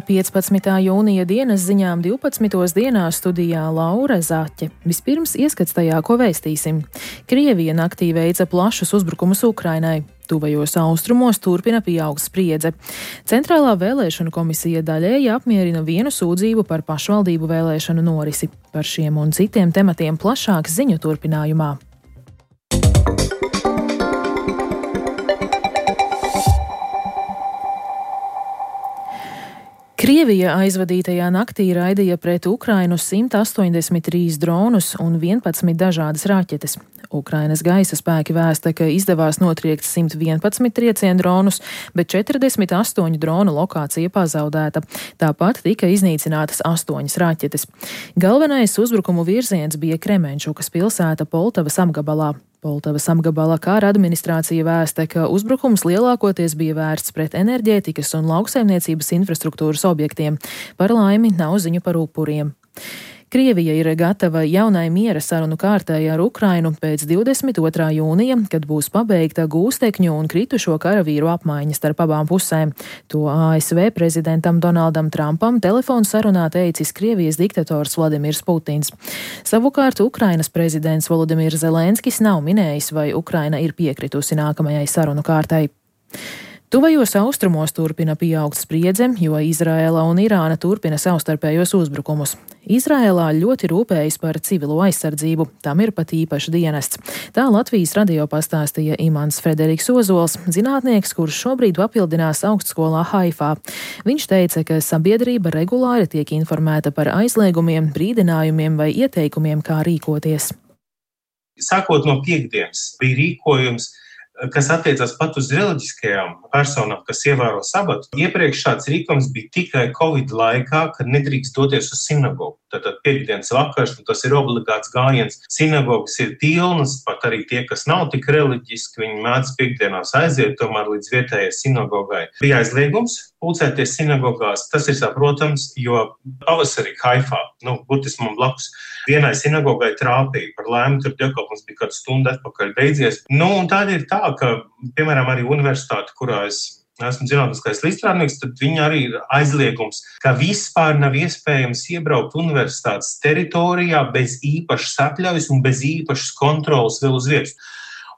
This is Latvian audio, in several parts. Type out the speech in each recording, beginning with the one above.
Ar 15. jūnija dienas ziņām 12. dienā studijā Laura Zaķe. Vispirms ieskats tajā, ko vēstīsim. Krievija naktī veica plašus uzbrukumus Ukrainai. Tuvajos austrumos turpina pieaugt spriedze. Centrālā vēlēšanu komisija daļēji apmierina vienu sūdzību par pašvaldību vēlēšanu norisi. Par šiem un citiem tematiem plašāk ziņu turpinājumā. Krievija aizvadītajā naktī raidīja pret Ukrainu 183 dronus un 11 dažādas raķetes. Ukrainas gaisa spēki vēsta, ka izdevās notriekt 111 triecienu dronus, bet 48 dronu lokācija pazaudēta. Tāpat tika iznīcinātas 8 raķetes. Galvenais uzbrukumu virziens bija Kremenčukas pilsēta Poltavas apgabalā. Poltavas apgabala kara administrācija vēsta, ka uzbrukums lielākoties bija vērsts pret enerģētikas un lauksaimniecības infrastruktūras objektiem. Par laimi nav ziņu par upuriem. Krievija ir gatava jaunai miera sarunu kārtai ar Ukrainu pēc 22. jūnija, kad būs pabeigta gūstekņu un kritušo karavīru apmaiņa starp abām pusēm. To ASV prezidentam Donaldam Trumpam telefonu sarunā teicis Krievijas diktators Vladimirs Putins. Savukārt Ukrainas prezidents Volodimirs Zelenskis nav minējis, vai Ukraina ir piekritusi nākamajai sarunu kārtai. Tuvajos austrumos turpina pieaugt spriedze, jo Izraēla un Irāna turpina savstarpējos uzbrukumus. Izraēlā ļoti rūpējas par civilo aizsardzību, tam ir pat īpašs dienests. Tā Latvijas radio pastāstīja Imants Frederiks Ozols, zinātnieks, kurš šobrīd papildinās augstskolā Haifā. Viņš teica, ka sabiedrība regulāri tiek informēta par aizliegumiem, brīdinājumiem vai ieteikumiem, kā rīkoties. Sākot no piektdienas bija rīkojums, kas attiecās pat uz reliģiskajām personām, kas ievēro sabatu. Iepriekš šāds rīkojums bija tikai Covid laikā, kad nedrīkst doties uz sinagogu. Tātad piektdienas vakars, un tas ir obligāts gājiens. Sinagogas ir pilnas, pat arī tie, kas nav tik reliģiski, viņi mēdz piektdienās aiziet, tomēr līdz vietējai sinagogai. Bija aizliegums pulcēties sinagogās, tas ir saprotams, jo pavasarī Haifā, burtiski man blakus, vienai sinagogai trāpīja. Par laimi tur dievkalpojums bija kādu stundu atpakaļ beidzies. Un tāda ir tā, ka, piemēram, arī universitāte, kurā es esmu zinātniskais līdzstrādnieks, tad viņa arī ir aizliegums, ka vispār nav iespējams iebraukt universitātes teritorijā bez īpašas atļaujas un bez īpašas kontrolas vēl uz vietas.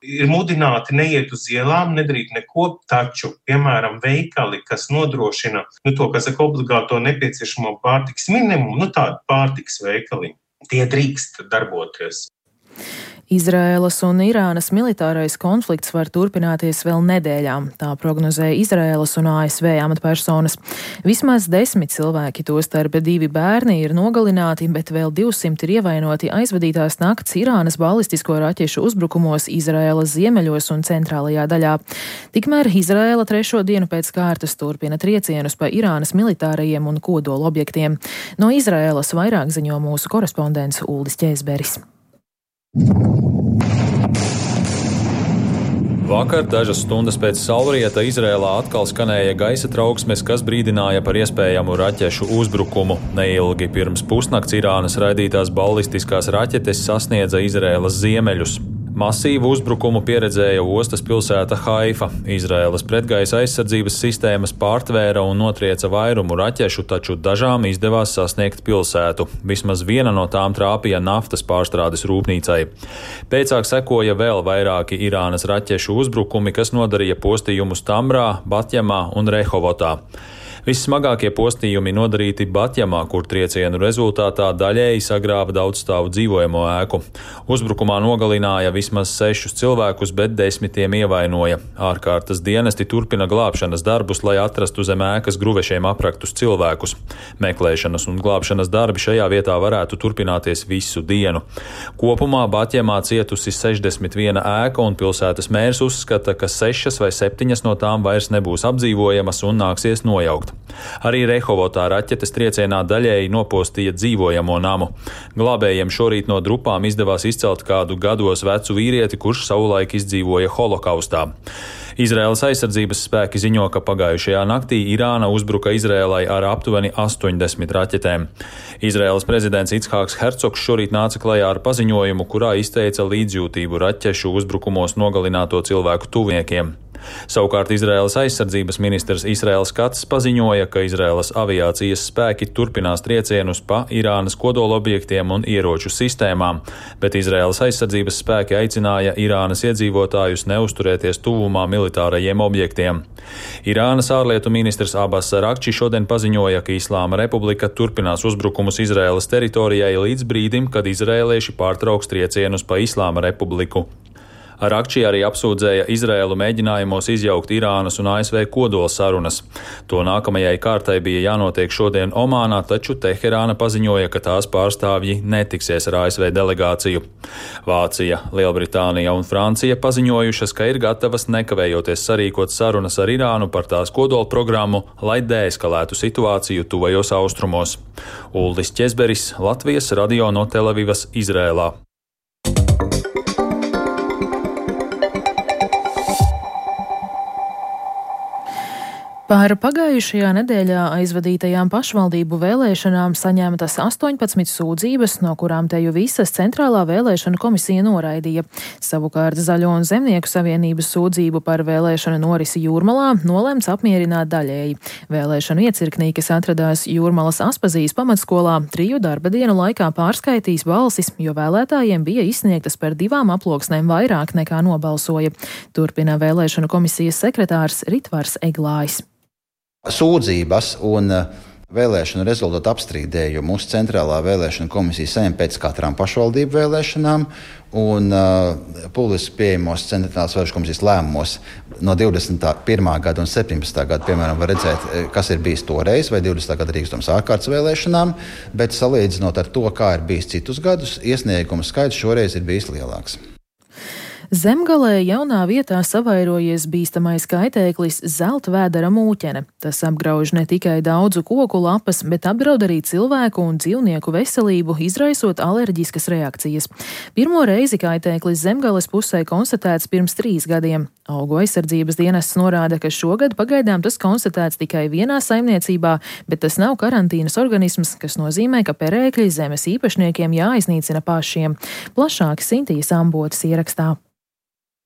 Ir mudināti neiet uz ielām, nedarīt neko, taču, piemēram, veikali, kas nodrošina to, kas saka, obligāto nepieciešamo pārtikas minimumu, tādi pārtikas veikali, tie drīkst darboties. Izraēlas un Irānas militārais konflikts var turpināties vēl nedēļām, tā prognozēja Izraēlas un ASV amatpersonas. Vismaz 10 cilvēki, tostarp 2 bērni, ir nogalināti, bet vēl 200 ir ievainoti aizvadītās nakts Irānas balistisko raķešu uzbrukumos Izraēlas ziemeļos un centrālajā daļā. Tikmēr Izraēla 3. dienu pēc kārtas turpina triecienus pa Irānas militārajiem un kodola objektiem. No Izraēlas vairāk ziņo mūsu korespondents Uldis Ķēzberis. Vakar, dažas stundas pēc saulrieta, Izrēlā atkal skanēja gaisa trauksmes, kas brīdināja par iespējamu raķešu uzbrukumu. Neilgi pirms pusnakts Irānas raidītās ballistiskās raķetes sasniedza Izrēlas ziemeļus. Masīvu uzbrukumu pieredzēja ostas pilsēta Haifa. Izraēlas pretgaisa aizsardzības sistēmas pārtvēra un notrieca vairumu raķešu, taču dažām izdevās sasniegt pilsētu. Vismaz viena no tām trāpīja naftas pārstrādes rūpnīcai. Pēcāk sekoja vēl vairāki Irānas raķešu uzbrukumi, kas nodarīja postījumus Tamrā, Batjamā un Rehovotā. Vissmagākie postījumi nodarīti Batjamā, kur triecienu rezultātā daļēji sagrāva daudzstāvu dzīvojamo ēku. Uzbrukumā nogalināja vismaz 6 cilvēkus, bet 10 ievainoja. Ārkārtas dienesti turpina glābšanas darbus, lai atrastu zem ēkas gruvešiem apraktus cilvēkus. Meklēšanas un glābšanas darbi šajā vietā varētu turpināties visu dienu. Kopumā Batjamā cietusi 61 ēka, un pilsētas mērs uzskata, ka 6 vai 7 no tām vairs nebūs apdzīvojamas un nāksies nojaukt. Arī Rehovotā raķetes triecienā daļēji nopostīja dzīvojamo namu. Glābējiem šorīt no drupām izdevās izcelt kādu gados vecu vīrieti, kurš savulaik izdzīvoja holokaustā. Izraēlas aizsardzības spēki ziņo, ka pagājušajā naktī Irāna uzbruka Izraēlai ar aptuveni 80 raķetēm. Izraēlas prezidents Ichāks Hercogs šorīt nāca klajā ar paziņojumu, kurā izteica līdzjūtību raķešu uzbrukumos nogalināto cilvēku tuviniekiem. Savukārt Izraēlas aizsardzības ministrs Israēls Kats paziņoja, ka Izraēlas aviācijas spēki turpinās triecienus pa Irānas kodolobjektiem un ieroču sistēmām, bet Izraēlas aizsardzības spēki aicināja Irānas iedzīvotājus neuzturēties tuvumā militārajiem objektiem. Irānas ārlietu ministrs Abas Arakči šodien paziņoja, ka Islāma Republika turpinās uzbrukumus Izraēlas teritorijai līdz brīdim, kad izraēlieši pārtrauks triecienus pa Islāma Republiku. Arakči arī apsūdzēja Izraēlu mēģinājumos izjaukt Irānas un ASV kodola sarunas. To nākamajai kārtai bija jānotiek šodien Omānā, taču Teherāna paziņoja, ka tās pārstāvji netiksies ar ASV delegāciju. Vācija, Lielbritānija un Francija paziņojušas, ka ir gatavas nekavējoties sarīkot sarunas ar Irānu par tās kodola programmu, lai deeskalētu situāciju tuvajos austrumos. Uldis Ķezberis, Latvijas radio no Telavivas, Izrēlā. Par pagājušajā nedēļā aizvadītajām pašvaldību vēlēšanām saņemtas 18 sūdzības, no kurām teju visas Centrālā vēlēšana komisija noraidīja. Savukārt Zaļo un Zemnieku savienības sūdzību par vēlēšanu norisi Jūrmalā nolemts apmierināt daļēji. Vēlēšanu iecirknī, kas atradās Jūrmalas Aspazijas pamatskolā, 3 darba dienu laikā pārskaitīs balsis, jo vēlētājiem bija izsniegtas par 2 aploksnēm vairāk nekā nobalsoja. Turpina vēlēšanu komisijas sekretārs Ritvars Eglājs. Sūdzības un vēlēšanu rezultātu apstrīdējumu mūsu Centrālā vēlēšana komisija saņem pēc katrām pašvaldību vēlēšanām un publiski pieejamos Centrālās vēlēšana komisijas lēmumos no 21. gada un 17. gada, piemēram, var redzēt, kas ir bijis toreiz, vai 20. gada rīkstums ārkārtas vēlēšanām, bet salīdzinot ar to, kā ir bijis citus gadus, iesniegumu skaits šoreiz ir bijis lielāks. Zemgalē jaunā vietā savairojies bīstamais kaitēklis zeltvēdera mūķene. Tas apgrauž ne tikai daudzu koku lapas, bet apdraud arī cilvēku un dzīvnieku veselību, izraisot alerģiskas reakcijas. Pirmo reizi kaitēklis Zemgales pusē konstatēts pirms 3 gadiem. Augu aizsardzības dienests norāda, ka šogad pagaidām tas konstatēts tikai vienā saimniecībā, bet tas nav karantīnas organisms, kas nozīmē, ka perēkļi zemes īpašniekiem jāiznīcina pašiem. Plašāk Sintīs Ambotas ierakstā.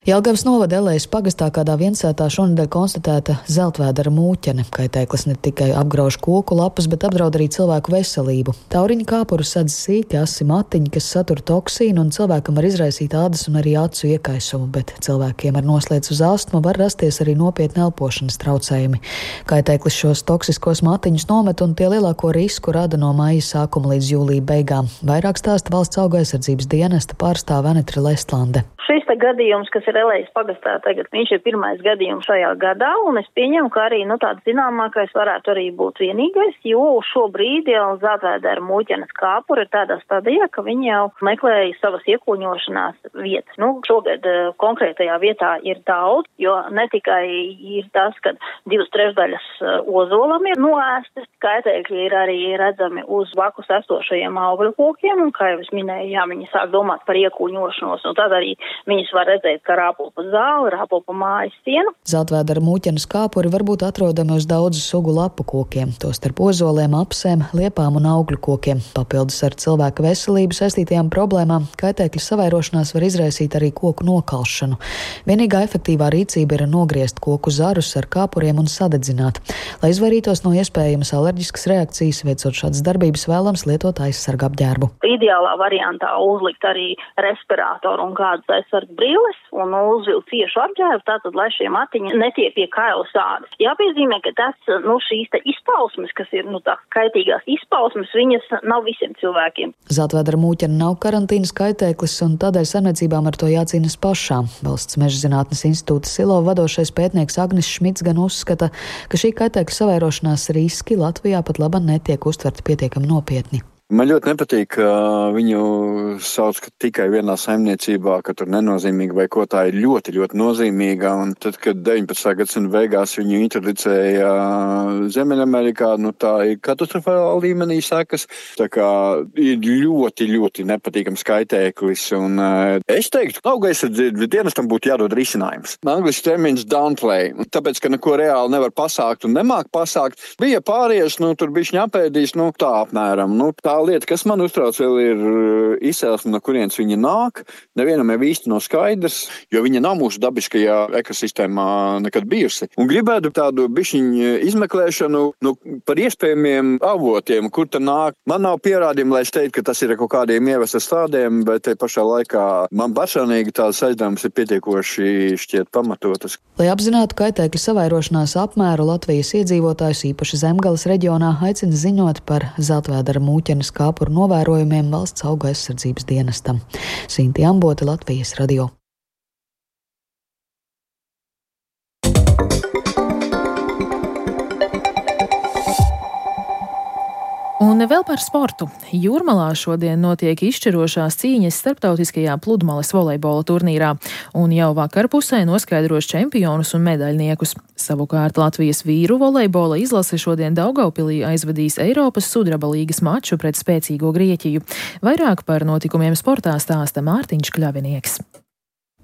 Jelgavas novada Elejas pagastā kādā viensētā šonedēļ konstatēta zeltvēdera mūķene. Kaitēklis ne tikai apgrauž koku lapas, bet apdraud arī cilvēku veselību. Tauriņa kāpuru sadz sīki, asi matiņi, kas satur toksīnu, un cilvēkam var izraisīt ādas un arī acu iekaisumu, bet cilvēkiem ar noslēdz uz astmu var rasties arī nopietni elpošanas traucējumi. Kaitēklis šos toksiskos matiņus nomet, un tie lielāko risku rada no maija sākuma līdz jūlija beigām. Vairāk stāsta valsts augu aizsardzības dienesta pārstāve Anetra Lestlande. Šis gadījums, kas ir Elejas pagastā tagad, viņš ir pirmais gadījums šajā gadā, un es pieņemu, ka arī tāds zināmākais varētu arī būt vienīgais, jo šobrīd jau zeltvēdera mūķenes kāpura ir tādā stadijā, ka viņi jau meklēja savas iekūņošanās vietas. Šogad konkrētajā vietā ir daudz, jo ne tikai ir tas, ka 2/3 ozolam ir noēstas, kaitēkļi ir arī redzami uz blakus esošajiem augļu kokiem, un, kā jau es minēju, viņi sāk domāt par iekūņošanos, un tad arī viņas var redzēt, ka rāpo pa zāli, rāpo pa mājas sienu. Zeltvēdera mūķenes kāpuri var būt atrodami uz daudzu sugu lapu kokiem, tostarp ozoliem, apsēm, liepām un augļu kokiem. Papildus ar cilvēka veselību saistītajām problēmām kaitēkļu savairošanās var izraisīt arī koku nokalšanu. Vienīgā efektīvā rīcība ir nogriezt koku zarus ar kāpuriem un sadedzināt. Lai izvairītos no iespējamas alerģiskas reakcijas, veicot šādas darbības, vēlams lietot aizsarga apģērbu. Ideālā variantā uzlikt arī respirātoru un kādas aizsarga brīles un uzvilkt ciešu apģērbu, tātad, lai šie matiņi netiek pie kaila sādes. Jāpiezīmē, ka šīs izpausmes, kas ir tās kaitīgās izpausmes, viņas nav visiem cilvēkiem. Zeltvēdera mūķene nav karantīnas kaitēklis, un tādēļ saimniecībām ar to jācīnas pašām. Valsts meža zinātnes institūta Silo vadošais pētnieks Agnis Šmits gan uzskata, ka šī kaitēkļa savairošanās riski Latvijā pat labāk netiek uztverti pietiekami nopietni. Man ļoti nepatīk, ka viņu sauc tikai vienā saimniecībā, ka tur nenozīmīga vai ko, tā ir ļoti, ļoti nozīmīga. Un tad, kad 19. gadsimta beigās viņu introducēja Ziemeļamerikā, tā ir katastrofāla līmenī sekas. Tā kā ir ļoti, ļoti nepatīkams kaitēklis. Un es teiktu, ka auga aizsardzības dienestam būtu jādod risinājums. Angliski termins downplay, tāpēc, ka neko reāli nevar pasākt un nemāk pasākt. Bija pārieši, tur bišķi apēdīs, tā apmēram. Tā lieta, kas man uztrauc vēl ir izcelsme, no kurienes viņa nāk. Nevienam jau īsti nav skaidrs, jo viņa nav mūsu dabiskajā ekosistēmā nekad bijusi. Un gribētu tādu bišķiņu izmeklēšanu par iespējamiem avotiem, kur tā nāk. Man nav pierādījumi, lai es teiktu, ka tas ir kaut kādiem ievestas tādiem, bet te pašā laikā man personīgi tādas aizdevums ir pietiekoši šķiet pamatotas. Lai apzinātu kaitēkļu savairošanās apmēru, Latvijas iedzīvotājus īpaši Zemgales reģionā aicina ziņot par zeltvēdera mūķenes kāpuru novērojumiem Valsts auga aizsardzības dienestam. Sinti Ambote, Latvijas radio. Un vēl par sportu. Jūrmalā šodien notiek izšķirošās cīņas starptautiskajā pludmales volejbola turnīrā, un jau vakar pusē noskaidros čempionus un medaļniekus. Savukārt Latvijas vīru volejbola izlase šodien Daugavpilī aizvadīs Eiropas sudraba līgas maču pret spēcīgo Grieķiju. Vairāk par notikumiem sportā stāsta Mārtiņš Kļavinieks.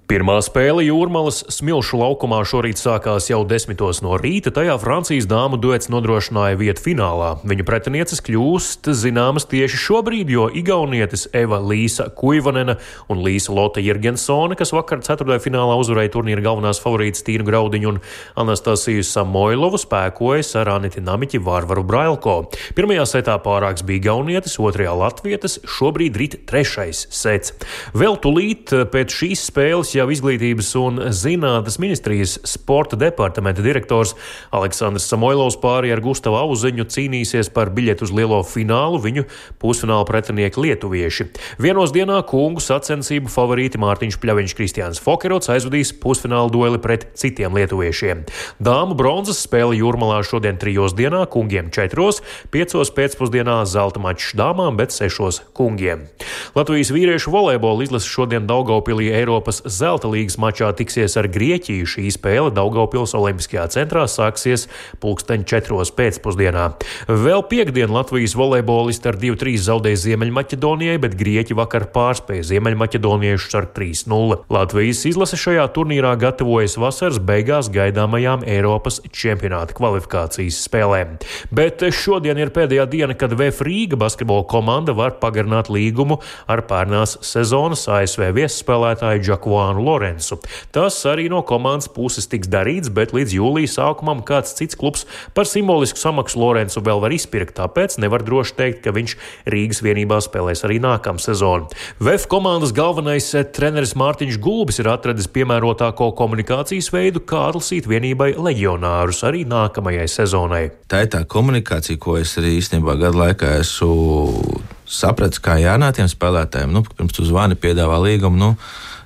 Pirmā spēle Jūrmalas Smilšu laukumā šorīt sākās jau 10 no rīta, tajā Francijas dāmu duets nodrošināja vietu finālā. Viņu pretinieces kļūst zināmas tieši šobrīd, jo igaunietis Eva Līsa Kuivanena un Līsa Lotte Jirgensone, kas vakar ceturtajā finālā uzvarēja turnīra galvenās favorītas Tīnu Graudiņu un Anastasiju Samoilovu, spēkojas ar Aniti Namiķi Vārvaru Brailko. Pirmajā setā pārāks bija igaunietis, otrajā latvietis, šobrīd rit trešais sets. Vēl tulīt pēc šīs spēles jau Izglītības un zinātnes ministrijas sporta departamenta direktors Aleksandrs Samoilovs pāri ar Gustavu Auziņu cīnīsies par biļetu uz lielo finālu, viņu pusfināla pretinieki lietuvieši. Vienos dienā kungu sacensību favorīti Mārtiņš Pļaviņš, Kristiāns Fokerots aizvadīs pusfināla dueli pret citiem lietuviešiem. Dāmu bronzas spēle Jūrmalā šodien 3 dienā, kungiem 4, 5 pēcpusdienā zelta mačs dāmām, bet 6 kungiem. Latvijas vīriešu volejbola izlase šodien Daugavpilī Eiropas zelta līgas mačā tiksies ar Grieķiju. Šī spēle Daugavpils Olimpiskajā centrā sāksies 4:00 pēcpusdienā. Vēl piekdien Latvijas volejbolisti ar 2-3 zaudēja Ziemeļmaķedonijai, bet Grieķi vakar pārspēja Ziemeļmaķedoniešus ar 3-0. Latvijas izlase šajā turnīrā gatavojas vasaras beigās gaidāmajām Eiropas čempionāta kvalifikācijas spēlēm. Bet šodien ir pēdējā diena, kad VF Rīga basketbola komanda var pagarināt līgumu ar pērnās sezonas ASV viesspēlētāju Džakuānu Lorensu. Tas arī no komandas puses tiks darīts, bet līdz jūlija sākumam kāds cits klubs par simbolisku samaksu Lorensu vēl var izpirkt, tāpēc nevar droši teikt, ka viņš Rīgas vienībā spēlēs arī nākamā sezonu. VF komandas galvenais treneris Mārtiņš Gulbis ir atradis piemērotāko komunikācijas veidu, kā atlasīt vienībai leģionārus arī nākamajai sezonai. Tā ir tā komunikācija, ko es arī īstenībā gadu laikā esmu sapratis, kā jārunā tiem spēlētājiem. Pirms tu zvani, piedāvā līgumu,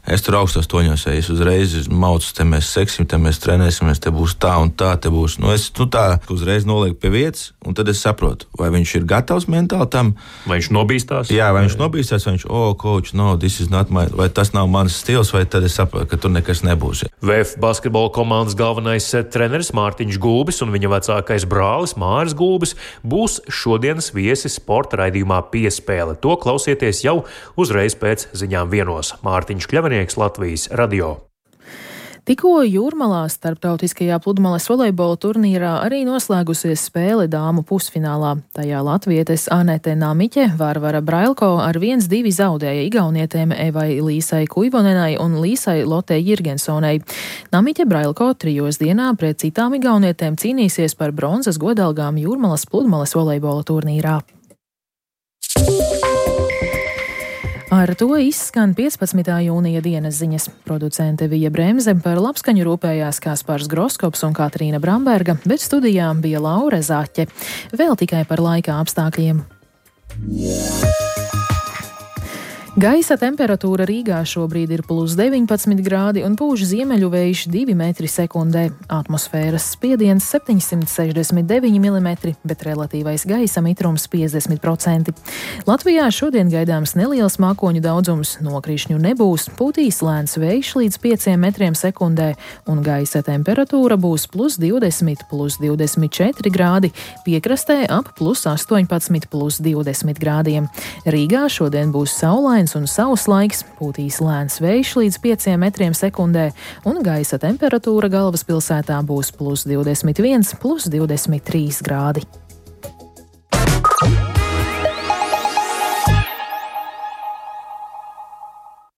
es tur augstos toņos, es uzreiz maucu, te mēs seksim, te mēs trenēsimies, te būs tā un tā, te būs. Es tā uzreiz nolieku pie vietas, un tad es saprotu, vai viņš ir gatavs mentāli tam. Vai viņš nobīstās? Jā, vai viņš nobīstās, vai viņš, coach, no, this is not my, vai tas nav mans stils, vai tad es saprotu, ka tur nekas nebūs. VF basketbola komandas galvenais treneris Mārtiņš Gulbis un viņa vecākais brālis Māris Gulbis būs šodienas viesis sporta raidījumā Piespēle. To klausieties jau uzreiz pēc ziņām 1. Mārtiņš Kļavinieks, Latvijas radio. Tikko Jūrmalā starptautiskajā pludmales volejbola turnīrā arī noslēgusies spēle dāmu pusfinālā. Tajā latvietes Anete Namiķe Vārvara Brailko ar 1-2 zaudēja igaunietēm Evai Līsai Kuivonenai un Līsai Lotei Jirgensonei. Namiķe Brailko 3 dienā pret citām igaunietēm cīnīsies par bronzas godalgām Jūrmalas pludmales volejbola turnīrā. Ar to izskan 15. jūnija dienas ziņas. Producente Vija Bremze, par labskaņu rūpējās Kaspars Groskops un Katrīna Bramberga, bet studijā bija Laura Zaķe. Vēl tikai par laika apstākļiem. Gaisa temperatūra Rīgā šobrīd ir +19 grādi un pūš ziemeļu vējš 2 metri sekundē. Atmosfēras spiediens 769 mm, bet relatīvais gaisa mitrums 50%. Latvijā šodien gaidāms neliels mākoņu daudzums, nokrišņu nebūs, pūtīs lēns vējš līdz 5 metriem sekundē un gaisa temperatūra būs +20, +24 grādi, piekrastē ap +18, +20 grādiem. Rīgā šodien būs saulains un sauss laiks, pūtīs lēns vējš līdz 5 metriem sekundē, un gaisa temperatūra galvaspilsētā būs +21, +23 grādi.